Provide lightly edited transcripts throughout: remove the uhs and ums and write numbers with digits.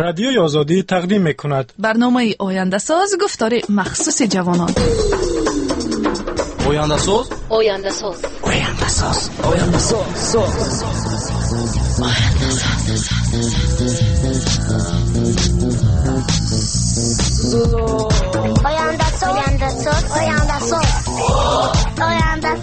Радиои Озодӣ тақдим мекунад. Барномаи Ояндасоз, гуфтори махсуси ҷавонон. Ояндасоз, Ояндасоз, Ояндасоз, Ояндасоз, Ояндасоз, Ояндасоз, Ояндасоз, Ояндасоз.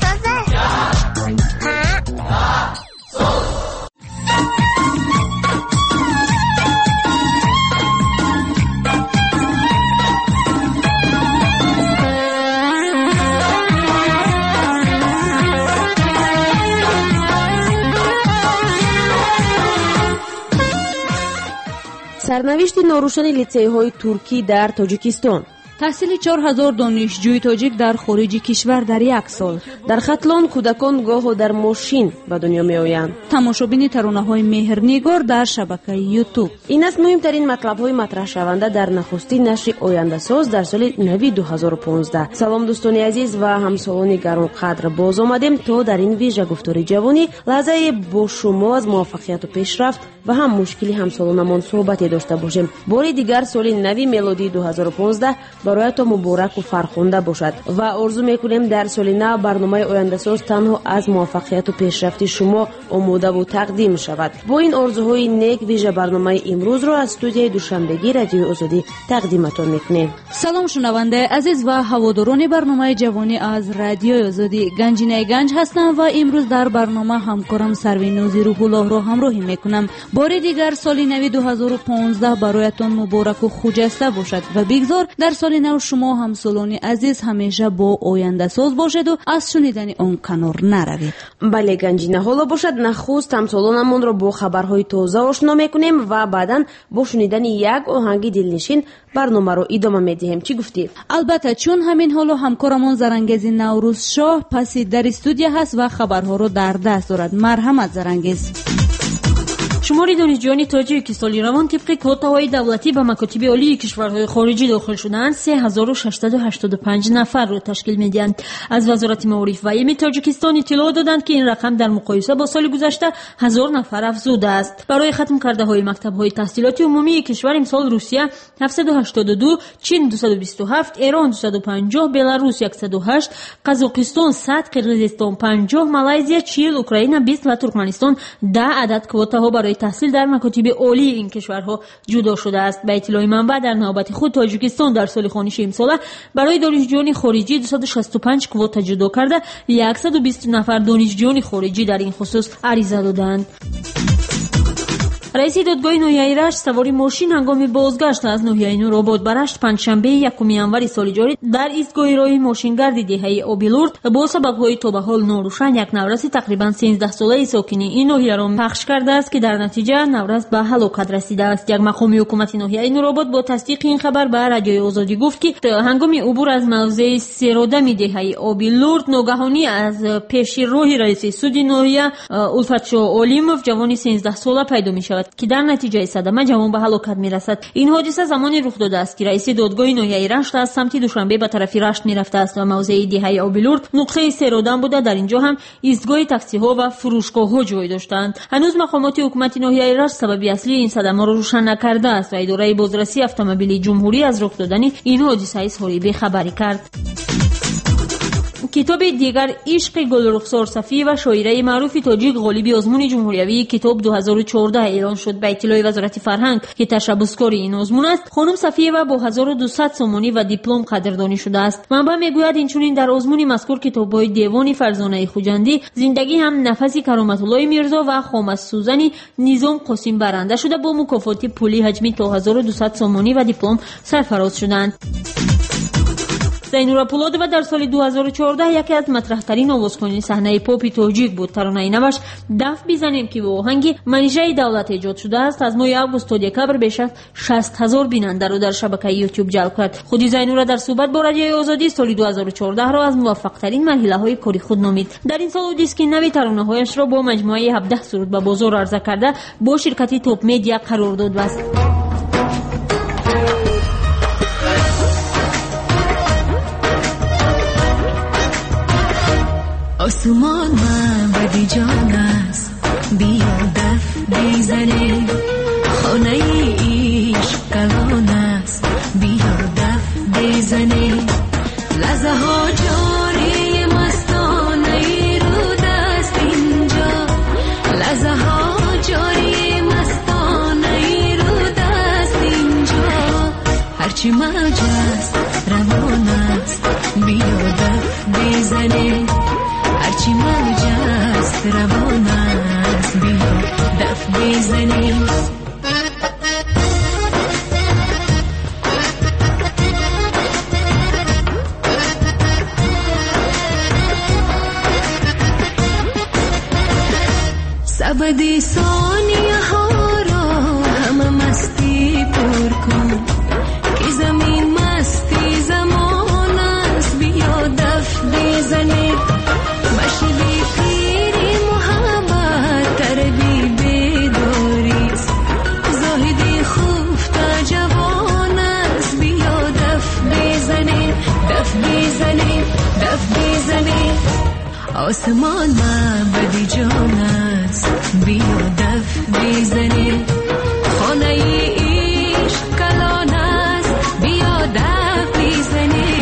Сарнавишти норӯшани литсейҳои туркӣ дар Тоҷикистон. Таҳсили 4000 донишҷӯи тоҷик дар хориҷи кишвар дар як сол. Дар Хатлон кӯдакон гоҳо дар мошин ба дунё меоянд. Тамошобини таронаҳои меҳрнигор дар шабакаи Ютуб. Ин аст муҳимтарин матлабҳои матраҳшаванда дар нахустин нашри Ояндасоз дар соли нави 2015. Салом, дӯстони азиз ва ҳамсолони гаронқадр, боз омадем то дар ин вижа гуфтори ҷавонӣ лаҳзае бо шумо аз муваффақияту пешрафт ва ҳам мушкили ҳамсолонамон суҳбате дошта бошем. Бори дигар соли нави мелодии 2015 бароятон мубораку фархунда бошад ва орзу мекунем дар соли нав барномаи Ояндасоз танҳо аз муваффақияту пешрафти шумо омодаву тақдим шавад. Бо ин орзуҳои нек вижа барномаи имрӯзро аз студияи Душанбегӣ Радиои Озодӣ тақдиматон мекунем. Салом, шунавандаи азиз ва ҳаводорони барномаи ҷавонӣ аз Радиои Озодӣ. Ганҷинаи Ганҷ ҳастам ва имрӯз дар барнома ҳамкорам Сарвинози Рӯҳуллоҳро ҳамроҳӣ мекунам. Бори дигар соли нави 2015 бароятон мубораку хуҷаста бошад ва бигзор дар соли нав шумо ҳамсолони азиз ҳамеша бо Ояндасоз бошеду аз шунидани он канор наравед. Бале, Ганҷина, ҳоло бошад нахуст ҳамсолонамонро бо хабарҳои тоза ошно мекунем ва баъдан бо шунидани як оҳанги дилнишин барномаро идома медиҳем. Чӣ гуфтӣ? Албатта, чун ҳамин ҳоло ҳамкорамон Зарангези Наврӯзшоҳ паси дари студия ҳаст ва хабарҳоро дар даст дорад. Марҳамат, Зарангез. Шумори донишҷӯёни тоҷик, ки соли равон тибқи квотаҳои давлатӣ ба макотиби олии кишварҳои хориҷӣ дохил шудаанд, 3685 нафарро ташкил медиҳанд. Аз Вазорати маориф ва илми Тоҷикистон иттилоъ доданд, ки ин рақам дар муқоиса бо соли гузашта 1000 нафар афзудааст. Барои хатмкардаҳои мактабҳои таҳсилоти умумии кишвар имсол Русия 782, Чин 227, Эрон 250, Беларус 108, Қазоқистон 100, Қирғизистон 50, Малайзия 40, Украина 20 ва Туркманистон 10 адад квотаҳо барои таҳсил дар макотиби олии ин кишварҳо ҷудо шудааст. Ба иттилои манбаъ, дар навбати худ Тоҷикистон дар соли хониши имсола барои донишҷӯёни хориҷӣ 265 квота ҷудо карда, 120 нафар донишҷӯёни хориҷӣ дар ин хусус ариза додаанд. Раиси додгоҳи ноҳияи Рашт савори мошин ҳангоми бозгашт аз ноҳияи Нуробод ба Рашт панҷшанбеи 1 январи соли ҷорӣ дар истгоҳи роҳи мошингарди деҳаи Обилурд бо сабабҳои то ба ҳол норӯшан як навраси тақрибан 13-солаи сокини ин ноҳияро пахш кардааст, ки дар натиҷа наврас ба ҳалокат расидааст. Як мақоми ҳукумати ноҳияи Нуробод бо тасдиқи ин хабар ба Радиои Озодӣ гуфт, ки ҳангоми убур аз мавзеи серодами деҳаи Обилурд ногаҳонӣ аз пеши роҳи раиси суди ноҳия Улфатшоҳ Олимов ҷавони 13-сола пайдо мешавад, ки дар натиҷаи садама ҷавон ба ҳалокат мерасад. Ин ҳодиса замоне рух додааст, ки раиси додгоҳи ноҳияи Рашт аз самти Душанбе ба тарафи Рашт мерафтааст ва мавзеи деҳаи Обилурд нуқтаи серодам буда, дар ин ҷо ҳам истгоҳи таксиҳо ва фурӯшгоҳҳо ҷой доштаанд. Ҳанӯз мақомоти ҳукумати ноҳияи Рашт сабаби аслии ин садамаро рӯшан накардааст ва идораи бозрасии автомобили ҷумҳурӣ аз рух додани ин ҳодиса изҳори бехабарӣ кард. Китоби дигар ишқи Гулрухсор Сафиева, шоираи маъруфи тоҷик, ғолиби озмуни ҷумҳуриявии китоб 2014 эълон шуд. Ба иттилои Вазорати фарҳанг, ки ташаббускори ин озмун аст, хонум Сафиева бо 1200 сомонӣ ва диплом қадрдонӣ шудааст. Манбаъ мегӯяд, инчунин дар озмуни мазкур китобҳои девони Фарзонаи Хуҷандӣ, зиндагӣ ҳам нафаси Кароматуллои Мирзо ва хомассӯзани Низом Қосим баранда шуда, бо мукофоти пулӣ ҳаҷми то 1200 сомонӣ ва диплом сарфароз шуданд. Зайнура Пулодова дар соли 2014 яке аз матраҳтарин овозхони саҳнаи попи тоҷик буд. Таронаи наваш «Даф бизанем», ки бо оҳанги Манижаи Давлат эҷод шудааст, аз моҳи август то декабр беш аз 60 000 бинандаро дар шабакаи Ютуб ҷалб кард. Худи Зайнура дар суҳбат бо Радиои Озодӣ соли 2014-ро аз муваффақтарин марҳилаҳои кори худ номид. Дар ин сол ӯ диски нави таронаҳояшро бо маҷмӯаи 17 суруд ба бозор арза карда, бо ширкати Топ Медиа қарордод баст. Осмон мабади ҷон аст, биё даф бизанем, хонаи هرچی موج است روان است بیا دف بزنیم، هرچی موج است روان است بیا دف بزنیم. سبد ثانیه ها را همه مستی پر کن که زمین مستی زمان است بیا دف بزنیم. مشربی پیری محبت تربی بیداریست، زاهدی خفته جوان است بیا دف بزنیم، دف بزنیم، دف بزنیم. آسمان معبد جان است بیا دف بزنیم، خانه عشق کلان است بیا دف بزنیم.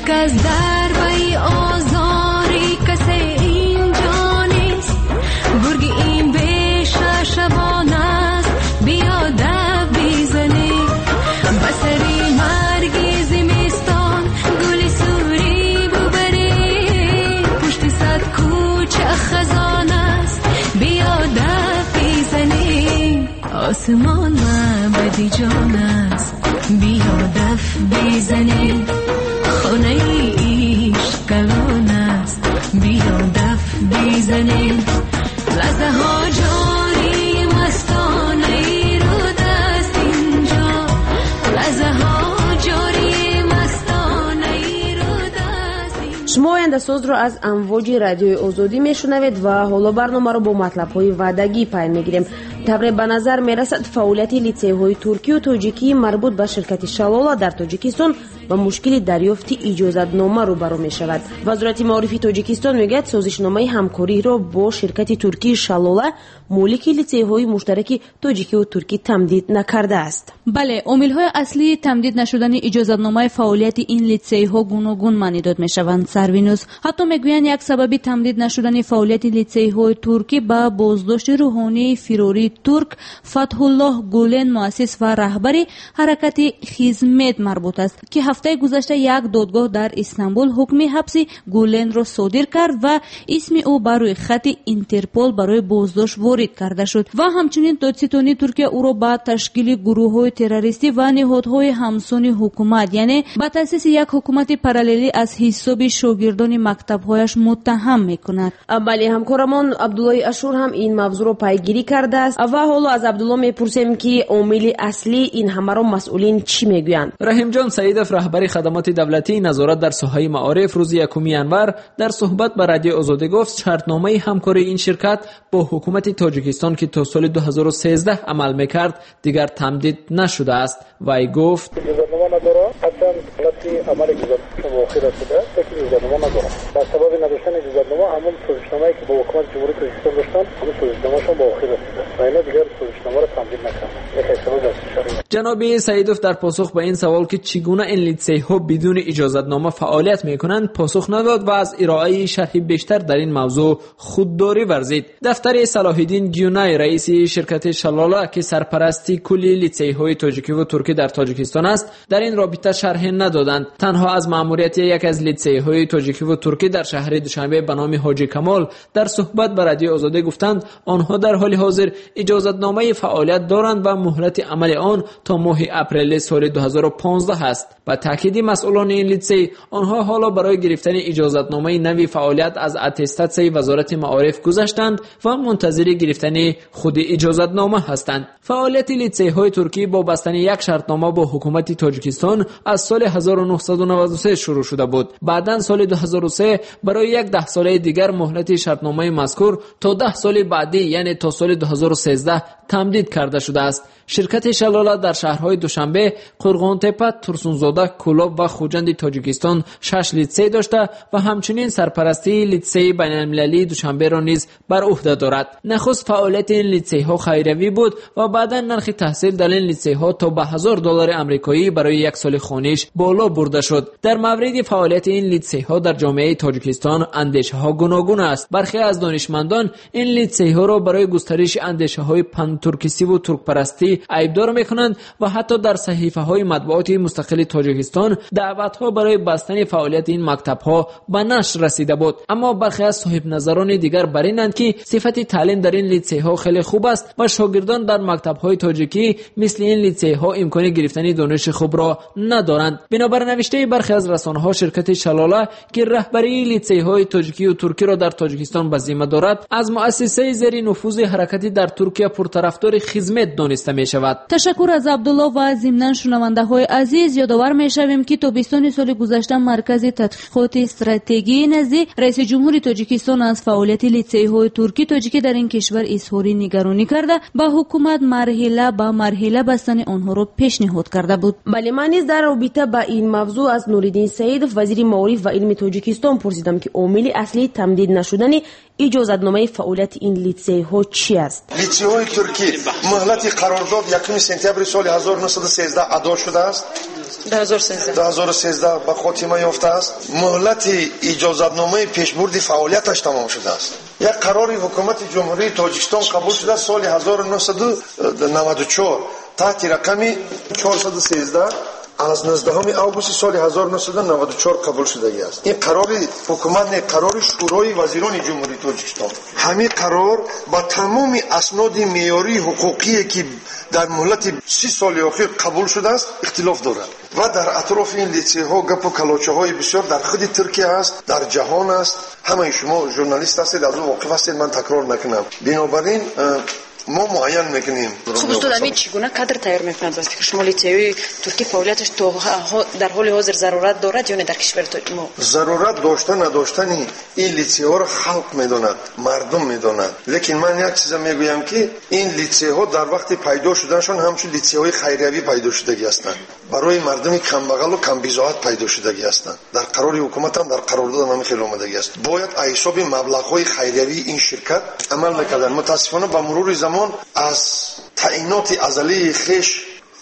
کس در وی آزاری کسی اینجا نیست، گرگ این بیشه شبان است بیا دف بزنیم. بسری مرگی زمستان گل سوری ببری، پشت صد کوچه خزان است بیا دف بزنیم. آسمان معبد جان است بیا دف بزنیم، خانه عشق کلان است بیا دف بزنیم. لحظه ها جاری مستانه رو دست اینجا، لحظه ها جاری مستانه رو دست اینجا. Шумо ояндасозро аз амвоҷи радиои Озодӣ мешунавед ва ҳоло барномаро бо матлабҳои ваъдагӣ пай мегирем. Тавре ба назар мерасад, фаъолияти литсейҳои туркию тоҷикии марбут ба ширкати Шалола дар Тоҷикистон ба мушкили дарёфти иҷозатнома рӯбарӯ мешавад. Вазорати маорифи Тоҷикистон мегӯяд, созишномаи ҳамкориро бо ширкати туркии Шалола, молики литсейҳои муштараки тоҷикиву туркӣ, тамдид накардааст. Бале, омилҳои аслии тамдид нашудани иҷозатномаи фаъолияти ин литсейҳо гуногун маънӣ дод мешаванд. Сарвинӯз ҳатто мегӯянд, як сабаби тамдид нашудани фаъолияти литсейҳои туркӣ ба боздошти рӯҳонии фирории турк Фатҳуллоҳ Гулен, муассис ва раҳбари ҳаракати Хизмет марбут аст, ки ҳафтаи гузашта як додгоҳ дар Истанбул ҳукми ҳабси Гуленро содир кард ва исми ӯ ба рӯйхати Интерпол барои боздошт ворид карда шуд. Ва ҳамчунин додситонии Туркия ӯро ба ташкили гурӯҳҳои террористӣ ва ниҳодҳои ҳамсони ҳукумат, яъне ба таъсиси як ҳукумати параллелӣ аз ҳисоби шогирдони мактабҳояш муттаҳам мекунад. Бале, ҳамкорамон Абдуллои Ашур ҳам ин мавзӯъро пайгирӣ кардааст ва ҳоло аз Абдулло мепурсем, ки омили аслии ин ҳамаро масъулин чӣ мегӯянд. Раҳимҷон Саидов, раҳбари хадамоти давлатии назорат дар соҳаи маориф, рӯзи 1 январ дар суҳбат ба радиои Озодӣ гуфт, шартномаи ҳамкории ин ширкат бо ҳукумати Тоҷикистон, ки то соли 2013 амал мекард, дигар тамдид нашудааст. Вай гуфт: иҷозатнома надорад, ҳарчанд ҳолати амали иҷозатнома охир расидааст, лекин иҷозатнома надорад. Ба сабаби надоштани иҷозатнома ҳамон созишномае, ки бо ҳукумати Ҷумҳурии Тоҷикистон доштанд, ҳамон созишномашон ба охир расидааст ва инҳо дигар созишномаро тамдид накарданд. Яке аз сабаби асосиаш. Ҷаноби Саидов дар посух ба ин савол, ки чӣ гуна ин литсейҳо бидуни иҷозатнома фаъолият мекунанд, посух надод ва аз ироаи шарҳи бештар дар ин мавзӯъ худдорӣ варзид. Дафтари Салоҳиддин Гюнай, раиси ширкати Шалола, ки сарпарасти кулли литсейҳои тоҷикиву туркӣ дар Тоҷикистон аст, дар ин робита шарҳе надоданд. Танҳо аз маъмурияти яке аз литсейҳои тоҷикиву туркӣ дар шаҳри Душанбе ба номи Ҳоҷи Камол дар суҳбат ба радиои Озодӣ гуфтанд, онҳо дар ҳоли ҳозир иҷозатномаи фаъолият доранд ва муҳлати амали он то моҳи апрели соли 2015 аст. Ба таъкиди масъулони ин литсей, онҳо ҳоло барои гирифтани иҷозатномаи нави фаъолият аз аттестатсияи Вазорати маориф гузаштанд ва мунтазири гирифтани худи иҷозатнома ҳастанд. Фаъолияти литсейҳои туркӣ бо бастани як шартнома бо ҳукумати Тоҷикистон аз соли 1993 шурӯъ шуда буд. Баъдан соли 2003 барои як даҳсолаи дигар муҳлати шартномаи мазкур то 10 соли баъдӣ, яъне то соли 2013 тамдид карда шудааст. Ширкати Шалола дар дар шаҳрҳои Душанбе, Қурғонтепа, Турсунзода, Кӯлоб ва Хуҷанди Тоҷикистон 6 литсей дошта ва ҳамчунин сарпарастии литсейи байналмилалии Душанберо низ бар уҳда дорад. Нахуст фаъолияти ин литсейҳо хайриявӣ буд ва баъдан нархи таҳсил дар ин литсейҳо то ба $1000 амрикоӣ барои як соли хониш боло бурда шуд. Дар мавриди фаъолияти ин литсейҳо дар ҷомеаи Тоҷикистон андешаҳо гуногун аст. Бархе аз донишмандон ин литсейҳоро барои густариши андешаҳои пантуркистиву туркпарастӣ айбдор мекунанд ва ҳатто дар саҳифаҳои матбуоти мустақили Тоҷикистон даъватҳо барои бастани фаъолияти ин мактабҳо ба нашр расида буд. Аммо бархе аз соҳибназарони дигар бар инанд, ки сифати таълим дар ин литсейҳо хеле хуб аст ва шогирдон дар мактабҳои тоҷикӣ мисли ин литсейҳо имкони гирифтани дониши хубро надоранд. Бинобар навиштаи бархе аз расонаҳо, ширкати Шалола, ки раҳбарии литсейҳои тоҷикию туркиро дар Тоҷикистон ба зимма дорад, аз муассисаи зери нуфузи ҳаракати дар Туркия пуртарафдори хизмат дониста мешавад. Ташаккур аз Абдулло ва зимнан шунавандаҳои азиз ёдовар мешавем, ки тобистони соли гузашта Маркази тадқиқоти стратегии назди раиси ҷумҳури Тоҷикистон аз фаъолияти литсейҳои туркӣ тоҷикӣ дар ин кишвар изҳори нигаронӣ карда, ба ҳукумат марҳила ба марҳила бастани онҳоро пешниҳод карда буд. Бале, ман низ дар робита ба ин мавзӯъ аз Нуриддин Саидов, вазири маориф ва илми Тоҷикистон, пурсидам, ки омили аслии тамдид нашудани иҷозатномаи фаъолияти ин литсейҳо чи аст. Литсейҳои туркӣ муҳлати қарордод 1 сентябри соли 1913 адо шудааст, 2013 ба хотима ёфтааст. Муҳлати иҷозатномаи пешбурди фаъолияташ тамом шудааст. Як қарори ҳукумати Ҷумҳурии Тоҷикистон қабул шуда соли 1994 таҳти рақами 413 аз 19 августи соли 1994 қабул шудагӣ аст. Ин қарори ҳукумат не, қарори Шӯрои вазирони Ҷумҳурии Тоҷикистон. Ҳамин қарор ба тамоми асноди меъёрии ҳуқуқие, ки дар муҳлати 30 соли охир қабул шудааст, ихтилоф дорад. Ва дар атрофи ин литсейҳо гапу калочаҳои бисёр дар худи Туркия аст, дар ҷаҳон аст. Ҳамаи шумо журналист ҳастед, аз ӯ воқиф ҳастед, ман такрор накунам. Бинобар ин мо муайян мекунем. Хуб, устод, ҳамин чӣ гуна кадр тайёр мекунад? Ба фикри шумо литсейҳои туркӣ фаъолияташ то дар ҳоли ҳозир зарурат дорад ё не дар кишвари мо? Зарурат дошта надоштани ин литсейҳоро халқ медонад, мардум медонад. Лекин ман як чиза мегӯям, ки ин литсейҳо дар вақти пайдо шуданашон ҳамчун литсейҳои хайриявӣ пайдо шудагӣ ҳастанд, барои мардуми камбағалу камбизоат пайдо шудагӣ ҳастанд. Дар қарори ҳукуматам, дар қарордодам ҳамин хел омадагӣ аст. Бояд аз ҳисоби маблағҳои хайриявии ин ширкат амал мекарданд. Мутаассифона ба мурури замон аз таъиноти азалии хеш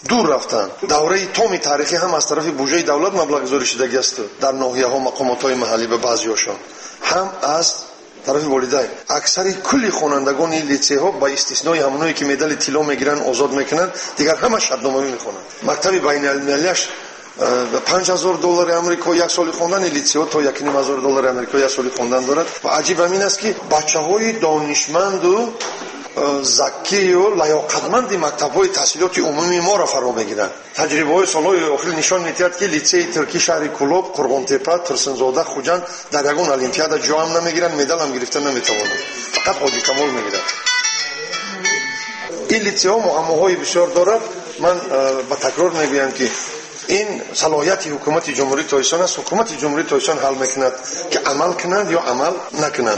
дур рафтанд. Давраи томи таърихӣ ҳам аз тарафи буҷаи давлат маблағгузорӣ шудагӣ аст дар ноҳияҳо, мақомотҳои маҳаллӣ ба баъзеҳошон, ҳам аз тарафи волидайн. Аксари кулли хонандагони литсейҳо ба истиснои ҳамоное, ки медали тилло мегиранд, озод мекунанд, дигар ҳама шартномавӣ мехонанд. Мактаби байналмилалиаш $5000 амрико як соли хондан, литсейҳо то $1500 амрико як соли хондан дорад. Ва аҷиб ҳамин аст, ки бачаҳои донишманду закию лаёқатманди мактабҳои таҳсилоти умумии моро фаро мегиранд. Таҷрибаҳои солҳои охир нишон медиҳад, ки литсеи туркӣ шаҳри Кӯлоб, Қурғонтепа, Турсунзода, Хуҷанд дар ягон олимпиада ҷоам намегиранд, медалам гирифта наметавонанд. Фақат Ҳоҷи Камол мегирад. Ин литсейҳо муаммоҳои бисёр дорад. Ман ба такрор мегӯям, ки ин салоҳияти ҳукумати Ҷумҳурии Тоҷикистон аст. Ҳукумати Ҷумҳурии Тоҷикистон ҳал мекунад, ки амал кунанд ё амал накунанд.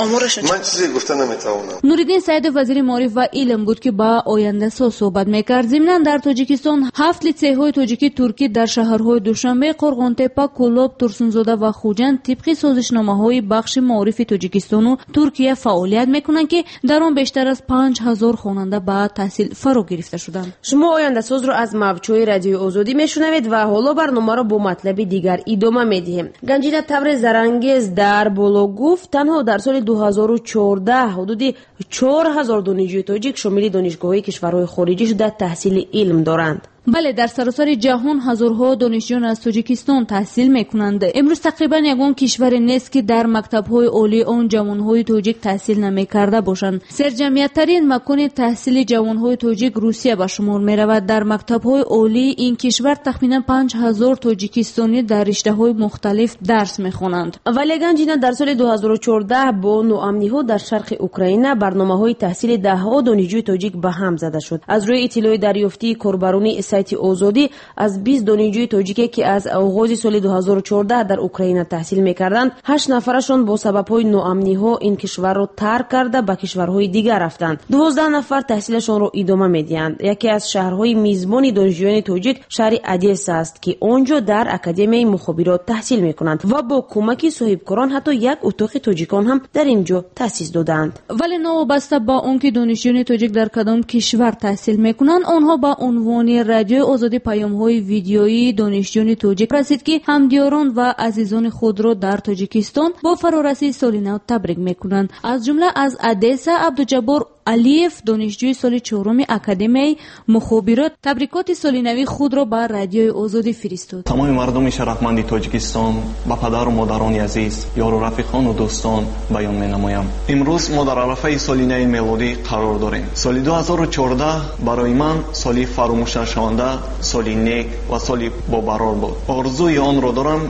Ман чизе гуфта наметавонам. Нуриддин Саидов, вазири маориф ва илм буд, ки ба ояндасоз суҳбат мекард. Зимнан дар Тоҷикистон 7 литсейҳои тоҷикӣ туркӣ дар шаҳрҳои Душанбе, Қурғонтепа, Кӯлоб, Турсунзода ва Хуҷанд тибқи созишномаҳои бахши маорифи Тоҷикистону Туркия фаъолият мекунанд, ки дар он бештар аз 5000 хонанда ба таҳсил фаро гирифта шуданд. Шумо ояндасозро аз мавҷҳои Радиои Озодӣ мешунавед ва ҳоло барномаро бо матлаби дигар идома медиҳем. Ганҷина тавре зарангез дар боло гуфт, танҳо дар соли 2014 ҳудуди 4000 донишҷӯи тоҷик шомили донишгоҳҳои кишварҳои хориҷӣ шуда таҳсили илм доранд. Бале, дар саросари ҷаҳон ҳазорҳо донишҷӯён аз Тоҷикистон таҳсил мекунанд. Имрӯз тақрибан ягон кишваре нест, ки дар мактабҳои олии он ҷавонҳои тоҷик таҳсил намекарда бошанд. Серҷамъияттарин макони таҳсили ҷавонҳои тоҷик Русия ба шумор меравад. Дар мактабҳои олии ин кишвар тахминан 5000 тоҷикистонӣ дар риштаҳои мухталиф дарс мехонанд. Вале Ганҷина дар соли 2014 бо ноамниҳо дар шарқи Украина барномаҳои таҳсили даҳҳо донишҷӯи тоҷик ба ҳам зада шуд. Аз рӯи иттилои дарёфтии корбарони сайти Озодӣ, аз 20 донишҷӯи тоҷике, ки аз оғози соли 2014 дар Украина таҳсил мекарданд, 8 нафарашон бо сабабҳои ноамниҳо ин кишварро тарк карда ба кишварҳои дигар рафтанд. 12 нафар таҳсилашонро идома медиҳанд. Яке аз шаҳрҳои мизбони донишҷӯёни тоҷик шаҳри Одесса аст, ки он ҷо дар Академияи мухобирот таҳсил мекунанд ва бо кӯмаки соҳибкорон ҳатто як утоқи тоҷикон ҳам дар ин ҷо таъсис додаанд. Вале новобаста ба он ки донишҷӯёни тоҷик дар кадом кишвар таҳсил мекунанд, онҳо ба унвони Радиои Озодӣ паёмҳои видеоии донишҷӯёни тоҷик расид, ки ҳамдиёрон ва азизони худро дар Тоҷикистон бо фарорасии соли нав табрик мекунанд. Аз ҷумла аз Одесса Абдуҷаббор Алиев, донишҷӯи соли чоруми Академияи мухобирот, табрикоти соли нави худро ба Радиои Озодӣ фиристод. Тамоми мардуми шарафманди Тоҷикистон, ба падару модарони азиз, ёру рафиқону дӯстон баён менамоям. Имрӯз мо дар арафаи соли нави мелодӣ қарор дорем. Соли 2014 барои ман соли фаромӯшнашаванда, соли нек ва соли бобарор буд. Орзуи онро дорам,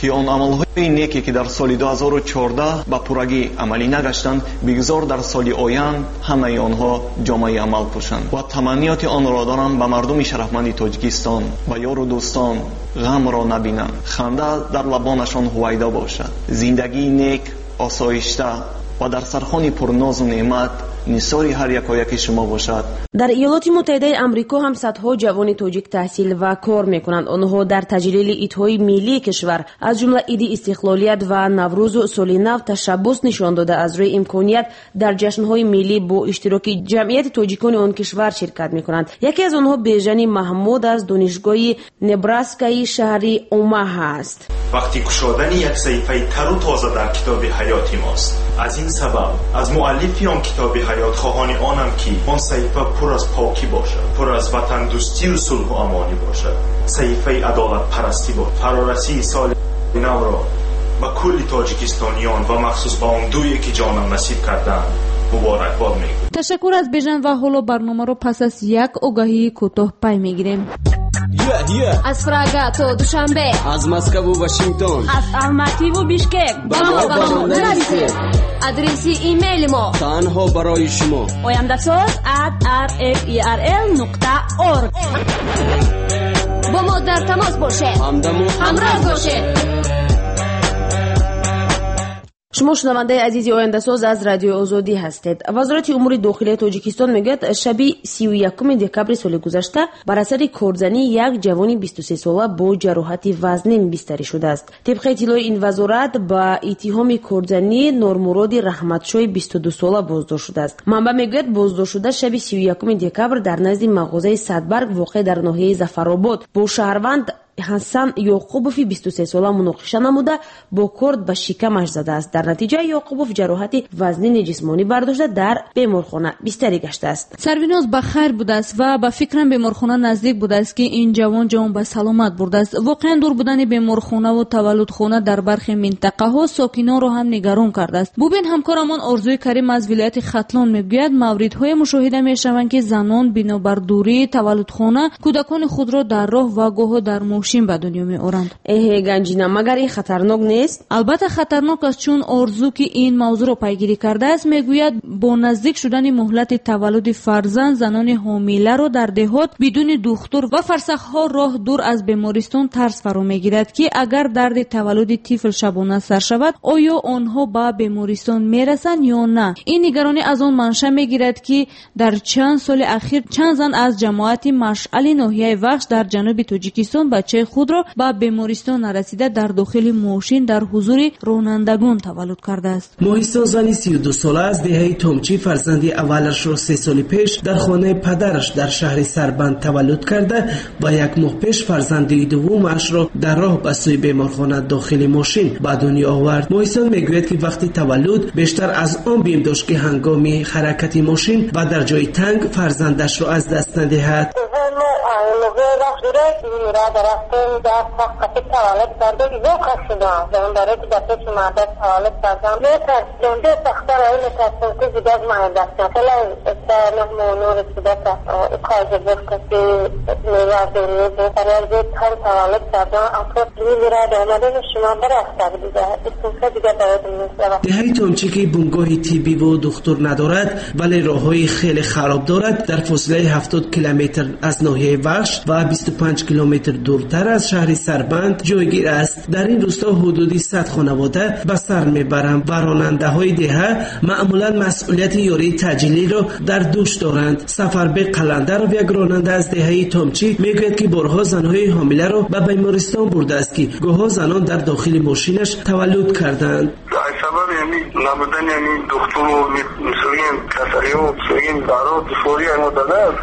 ки он амалҳои неке, ки дар соли 2014 ба пуррагӣ амалӣ нагаштанд, бигзор дар соли оянд ҳамаи онҳо ҷомаи амал пӯшанд. Ва таманниёти онро дорам ба мардуми шарафманди Тоҷикистон, ба ёру дӯстон ғамро набинанд, ханда дар лабонашон ҳувайдо бошад, зиндагии нек, осоишта ва дар сархони пурнозу неъмат нисори ҳар якояки шумо бошад. Дар Иёлоти Муттаҳидаи Амрико ҳам садҳо ҷавони тоҷик таҳсил ва кор мекунанд. Онҳо дар таҷлили идҳои миллии кишвар, аз ҷумла Иди истиқлолият ва Наврӯзу соли нав, ташаббус нишон дода, аз рӯи имконият дар ҷашнҳои миллӣ бо иштироки ҷамъияти тоҷикони он кишвар ширкат мекунанд. Яке аз онҳо Бежани Маҳмуд аз донишгоҳи Небраскаи шаҳри Омаҳа аст. Вақти кушодани як саҳифаи тару тоза дар китоби ҳаёти мост. Аз ин сабаб аз муаллифи он китоби ҳаёт хоҳони онам, ки он саҳифа пур аз покӣ бошад, пур аз ватандӯстию сулҳу амонӣ бошад, саҳифаи адолатпарастӣ бошад. Фарорасии соли навро ба кулли тоҷикистониён ва махсус ба он дуе, ки ҷонам насиб кардаанд, муборакбод мегӯям. Ташаккур аз Бежан ва ҳоло барномаро пас аз як огаҳии кӯтоҳ пай мегирем. Аз Прага то Душанбе, аз Москву Вашингтон, аз Алмативу Бишкек ба мо нависед. Адреси имейли мо танҳо барои шумо: ояндаsoz@rferl.org. Бо мо дар тамос бошед, ҳамдаму ҳамроз бошед. Шумо шунавандаи азизи Ояндасоз аз Радиои Озодӣ ҳастед. Вазорати умури дохилияи Тоҷикистон мегӯяд, шаби 31 декабри соли гузашта бар асари корзании як ҷавони 23сола бо ҷароҳати вазнин бистарӣ шудааст. Тибқи иттилои ин вазорат, ба иттиҳоми корзанӣ Нормуроди Раҳматшои 22сола боздошт шудааст. Манбаъ мегӯяд, боздоштшуда шаби 31 декабр дар назди мағозаи Садбарг воқеъ дар ноҳияи Зафаробод бо шаҳрванд Ҳасан Ёқубови 23сола муноқиша намуда, бо корд ба шикамаш задааст. Дар натиҷа Ёқубов ҷароҳати вазнини ҷисмонӣ бардошта, дар беморхона бистарӣ гаштааст. Сарвиноз ба хайр будааст ва ба фикрам беморхона наздик будааст, ки ин ҷавон ҷон ба саломат бурдааст. Воқеан дур будани беморхонаву таваллудхона дар бархе минтақаҳо сокинонро ҳам нигарон кардааст. Бубин, ҳамкорамон Орзуи Карим аз вилояти Хатлон мегӯяд, мавридҳое мушоҳида мешаванд, ки занон бинобар дурии таваллудхона кӯдакони худро дар роҳ ва гоҳо дар мошин ба дунё меоранд. Эҳе, Ганҷина, магар ин хатарнок нест? Албатта хатарнок аст, чун Орзу, ки ин мавзӯъро пайгирӣ кардааст, мегӯяд, бо наздик шудани муҳлати таваллуди фарзанд занони ҳомиларо дар деҳот бидуни духтур ва фарсахҳо роҳ дур аз бемористон тарс фаро мегирад, ки агар дарди таваллуди тифл шабона сар шавад, оё онҳо ба бемористон мерасанд ё на. Ин нигаронӣ аз он манша мегирад, ки дар чанд соли ахир чанд зан аз ҷамоати Машъали ноҳияи Вахш дар ҷануби Тоҷикистон бачаи худро ба бемористон нарасида дар дохили мошин дар ҳузури ронандагон таваллуд кардааст. Моҳисон зани 32сола аз деҳаи Томчӣ фарзанди аввалашро 3 соли пеш дар хонаи падараш дар шаҳри Сарбанд таваллуд карда ва як моҳ пеш фарзанди дуввумашро дар роҳ ба сӯи беморхона дохили мошин ба дунё овард. Моҳисон мегӯяд, ки вақти таваллуд бештар аз он бим дошт, ки ҳангоми ҳаракати мошин ва дар ҷои танг фарзандашро аз даст надиҳад. Деҳаи Томчӣ, ки бунгоҳи тиббиву духтур надорад, вале роҳҳои хеле хароб дорад, дар фосилаи 70 километр аз ноҳияи Вахш ва ва 25 километр дуртар аз шаҳри Сарбанд ҷойгир аст. Дар ин рӯсто ҳудуди 100 хонавода ба сар мебаранд ва ронандаҳои деҳа маъмулан масъулияти ёрии таъҷилиро дар дӯш доранд. Сафарбек Қаландаров, як ронанда аз деҳаи Томчӣ, мегӯяд, ки борҳо занҳои ҳомиларо ба бемористон бурдааст, ки гоҳо занон дар дохили мошинаш таваллуд карданд. Сабаби ҳамин набудани ҳамин духтуру мисолин касалиҳо, мисолин даро душворӣ ҳамо дадааст.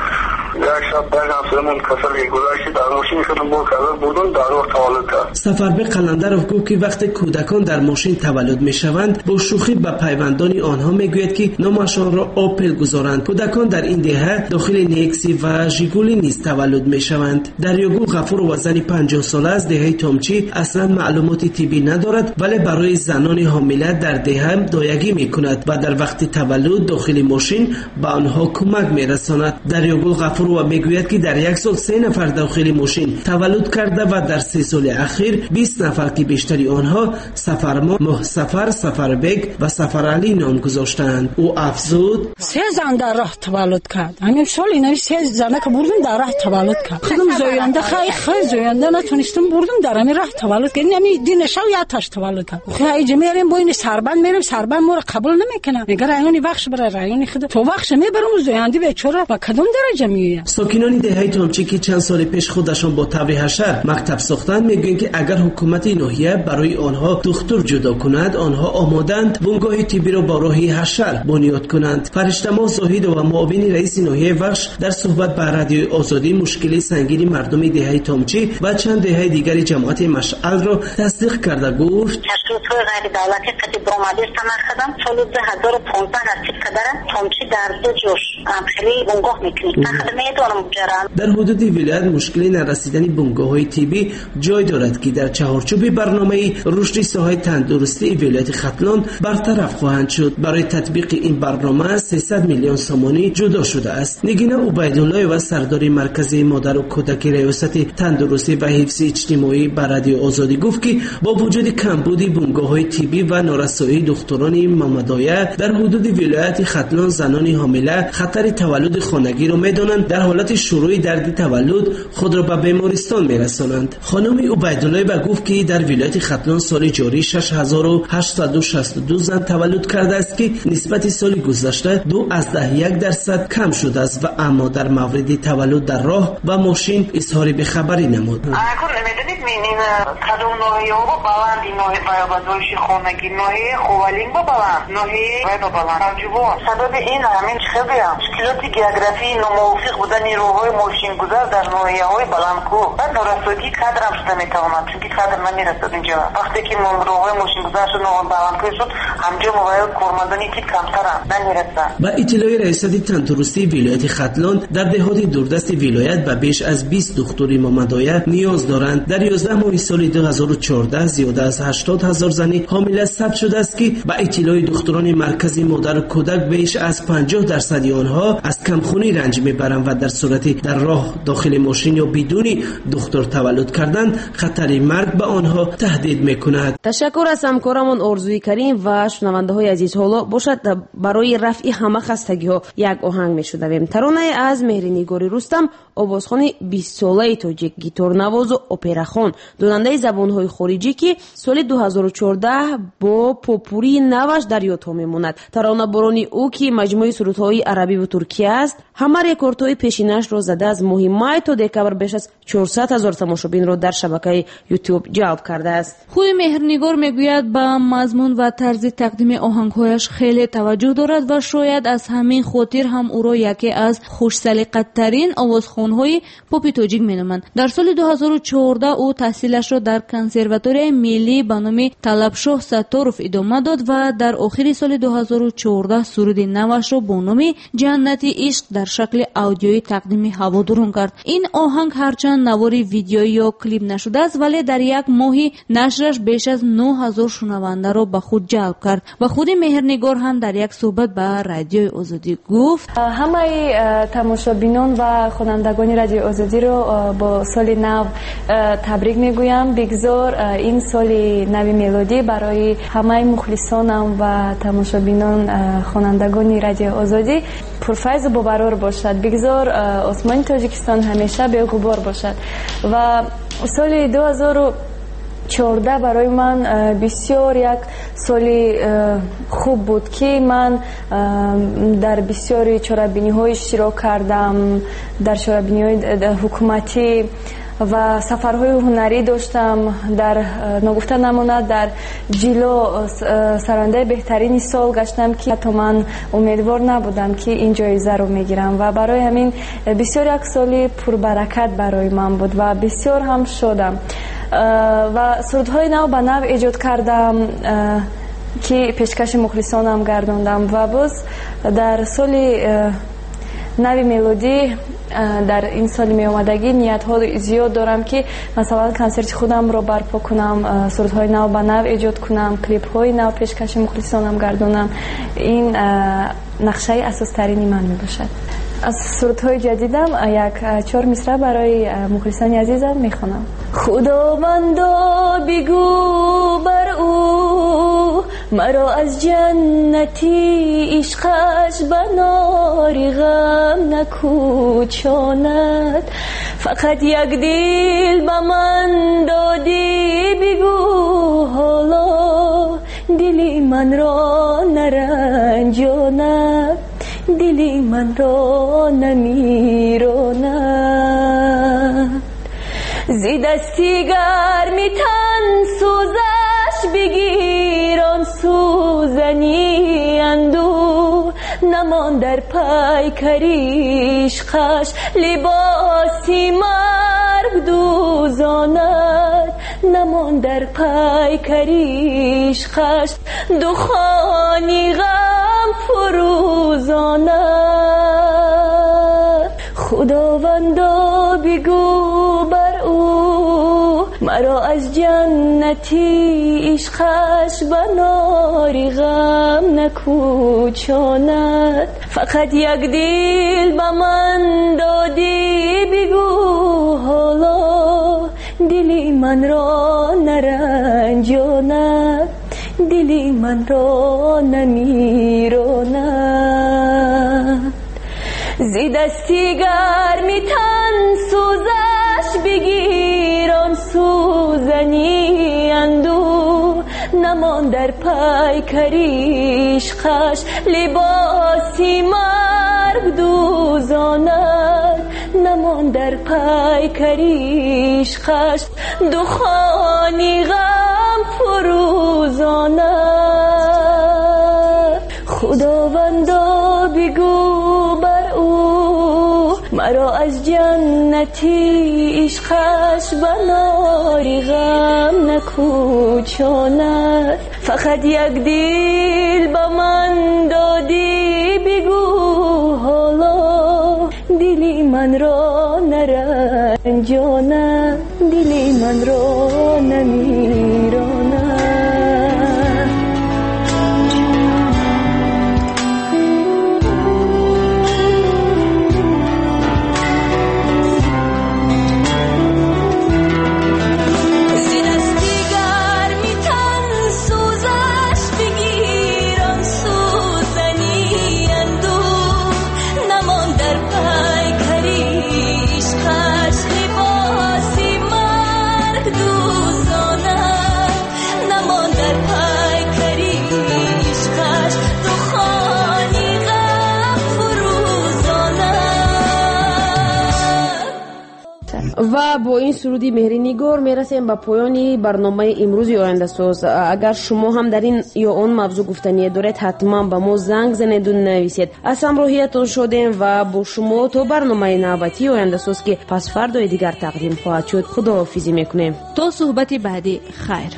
Як шаб як ҳамсоямон касале гузашти, дар мошини худам бор карда бурдум, дар роҳ таваллуд кард. Сафарбек Қаландаров гуфт, ки вақте кӯдакон дар мошин таваллуд мешаванд, бо шӯхӣ ба пайвандони онҳо мегӯяд, ки номашонро Опел гузоранд. Кӯдакон дар ин деҳа дохили Некси ва Жигули низ таваллуд мешаванд. Дарёгул Ғафурова, зани 50-сола аз деҳаи Томчӣ, аслан маълумоти тиббӣ надорад, вале барои занони ҳомила дар деҳа доягӣ мекунад ва дар вақти таваллуд дохили мошин ба онҳо кӯмак мерасонад. Дарёгул Ғафурова мегӯяд, ки дар як сол 3 нафар дохили мошин таваллуд карда ва дар 3 соли ахир 20 нафар, ки бештари онҳо Сафармо, Моҳсафар, Сафарбек ва Сафаралӣ ном гузоштаанд. Ӯ афзуд: 3 зан дар роҳ таваллуд кард. Ҳамин сол инаи 3 занака бурдум, дар роҳ таваллуд кард. Худам зоянда, хай зоянда натонистам, бурдум дар ҳамин роҳ таваллуд кард. Ҳамин динашав яташ таваллуд кард. Хай иҷа мерем, бо ин Сарбанд мерем, Сарбанд моро қабул намекунад. Мега райони Вахш бара, райони худ. То Вахш мебарам, зоянди бечора ба кадом дараҷа меояд? Сокинони деҳаи Томчӣ, ки чанд соли пеш худашон бо таври ҳашар мактаб сохтанд, мегӯянд, ки агар ҳукумати ноҳия барои онҳо духтур ҷудо кунад, онҳо омодаанд бунгоҳи тиббиро бо роҳи ҳашар бунёд кунанд. Фариштамоҳ Зоҳидова, муовини раиси ноҳияи Вахш, дар суҳбат ба Радиои Озодӣ мушкили сангини мардуми деҳаи Томчӣ ва чанд деҳаи дигари ҷамоати Машъалро тасдиқ карда гуфт: ташкилотҳои ғайридавлатӣ қати баромадистам худам соли 2015 насиб кардара Томчӣ дар ду ҷош хеле бунгоҳ мекунем. Дар ҳудуди вилоят мушкили нарасидани бунгоҳҳои тиббӣ ҷой дорад, ки дар чаҳорчӯби барномаи рушди соҳаи тандурустии вилояти Хатлон бартараф хоҳанд шуд. Барои татбиқи ин барнома 300 миллион сомонӣ ҷудо шудааст. Нигина Убайдуллоева, сардори маркази модару кӯдаки раёсати тандурустӣ ва ҳифзи иҷтимоӣ, ба Радиои Озодӣ гуфт, ки бо вуҷуди камбуди бунгоҳҳои тиббӣ ва норасоии духтурони мамадоя дар ҳудуди вилояти Хатлон, занони ҳомила хатари таваллуди хонагиро медонанд, дар ҳолати шурӯи дарди таваллуд худро ба бемористон мерасонанд. Хонуми Убайдуллоева гуфт, ки дар вилояти Хатлон соли ҷорӣ 6862 зан таваллуд кардааст, ки нисбати соли гузашта 2.1% кам шудааст ва аммо дар мавриди таваллуд дар роҳ ва мошин изҳори бехабарӣ намуд. Медонед, ин кадом ноҳияҳо баланди ноҳия ба зоиши хонагӣ, ноҳияи Ховалинг ба баланд, ноҳияи вай ба баланд. Ҷувон. Сабаби ин ҳамин чӣ гӯям? Мушкилоти географии номувофиқ будани роҳҳои мошингузар дар ноҳияҳои баландкӯҳ ва норасоии кадр ҳам шуда метавонад, чунки кадр намерасад инҷо. Вақте ки роҳҳои мошингузар шуд, баландкӯҳ шуд, ҳамҷо кормандони тиб камтаранд, намерасанд. Ба иттилои раёсати тандурустии вилояти Хатлон, дар деҳоти дурдасти вилоят ба беш аз 20 духтури мамадоя ниёз доранд. Дар 11 моҳи соли 2014 зиёда аз 80 ҳазор зани ҳомила сабт шудааст, ки ба иттилои духтурони маркази модару кӯдак беш аз 50% онҳо аз камхунӣ ранҷ мебаранд ва дар сурати дар роҳ дохили мошин ё бидуни духтур таваллуд кардан хатари марг ба онҳо таҳдид мекунад. Ташаккур аз ҳамкорамон Орзуи Карим ва шунавандаҳои азиз. Ҳоло бошад барои рафъи ҳама хастагиҳо як оҳанг мешунавем. Таронае аз Меҳринигори Рустам, овозхони 20-солаи тоҷик, гиторнавозу операхон, донандаи забонҳои хориҷӣ, ки соли 2014 бо попурии наваш дар ёдҳо мемонад. Таронаборони ӯ, ки маҷмӯи сурудҳои арабиву туркия аст, ҳама рекордҳои пешинашро зада, аз моҳи май то декабр беш аз 400 ҳазор тамошобинро дар шабакаи Ютуб ҷалб кардааст. Худи Меҳрнигор мегӯяд, ба мазмун ва тарзи тақдими оҳангҳояш хеле таваҷҷӯҳ дорад ва шояд аз ҳамин хотир ҳам ӯро яке аз хушсалиқаттарин овозхонҳои попи тоҷик меноманд. Дар соли 2014 ӯ таҳсилашро дар консерваторияи миллӣ ба номи Талабшоҳ Сатторов идома дод ва дар охири соли 2014 суруди навашро бо номи Ҷаннати ишқ дар шакли аудиоӣ тақдими ҳаводорон кард. Ин оҳанг ҳарчанд навори видеоӣ ё клип нашудааст, вале дар як моҳи нашраш беш аз 9000 шунавандаро ба худ ҷалб кард ва худи Меҳрнигор ҳам дар як суҳбат ба Радиои Озодӣ гуфт: ҳамаи тамошобинон ва хонандагони Радиои Озодиро бо соли нав табрик мегӯям. Бигзор ин соли нави мелодӣ барои ҳамаи мухлисонам ва тамошобинон, хонандагони Радиои Озодӣ мелодӣ пурфайзу бобарор бошад. Бигзор осмони Тоҷикистон ҳамеша беғубор бошад. Ва соли 2014 барои ман бисёр як соли хуб буд, ки ман дар бисёри чорабиниҳо иштирок кардам, дар чорабиниҳои ҳукуматӣ ва сафарҳои ҳунарӣ доштам. Дар ногуфта намонад, дар Ҷило сарояндаи беҳтарини сол гаштам, ки ҳатто ман умедвор набудам, ки ин ҷоизаро мегирам. Ва барои ҳамин бисёр як соли пурбаракат барои ман буд ва бисёр ҳам шодам. Ва сурудҳои нав ба нав эҷод кардам, ки пешкаши мухлисонам гардондам. Ва боз дар соли нави мелодӣ, дар ин соли меомадагӣ ниятҳо зиёд дорам, ки масалан консерти худамро барпо кунам, сурудҳои нав ба нав эҷод кунам, клипҳои нав пешкаши мухлисонам гардонам. Ин нақшаи асостарини ман мебошад. Аз сурудҳои ҷадидам як 4 мисра барои мухлисони азизам мехонам. Худовандо бигӯ бар ӯ, маро аз ҷаннати ишқаш ба нори ғам накӯчонад. Фақат як дил ба ман додӣ, бигӯ ҳоло дили манро наранҷонад, дили манро намиронад. Зи дасти гарми тан сӯзаш бигир он сӯзани андӯ, намон дар пайкари ишқаш либоси марг дӯзонад, намон дар пайкари ишқаш духони ғам фурӯзонад. Худовандо бигӯ бар ӯ, маро аз ҷаннати ишқаш ба нори ғам накӯчонад. Фақат як дил ба ман додӣ, бигӯ ҳоло дили манро наранҷонад, дили манро намиронад. Зи дасти гарми тан сӯзаш бигир он сӯзани андӯ, намон дар пайкари ишқаш либоси марг дӯзонад, намон дар пайкари ишқаш духони ғам фурӯзонад. Худовандо бигӯ бар ӯ, маро аз ҷаннати ишқаш ба нори ғам накӯчонад. Фақат як дил ба ман додӣ, бигӯ ҳоло дили манро наранҷонад, дили манро намиронад. Ва бо ин суруди Меҳринигор мерасем ба поёни барномаи имрӯзи Ояндасоз. Агар шумо ҳам дар ин ё он мавзӯъ гуфтание доред, ҳатман ба мо занг занеду нависед. Аз ҳамроҳиятон шодем ва бо шумо то барномаи навбатии Ояндасоз, ки пас фардои дигар тақдим хоҳад шуд, худоҳофизӣ мекунем. То суҳбати баъдӣ, хайр.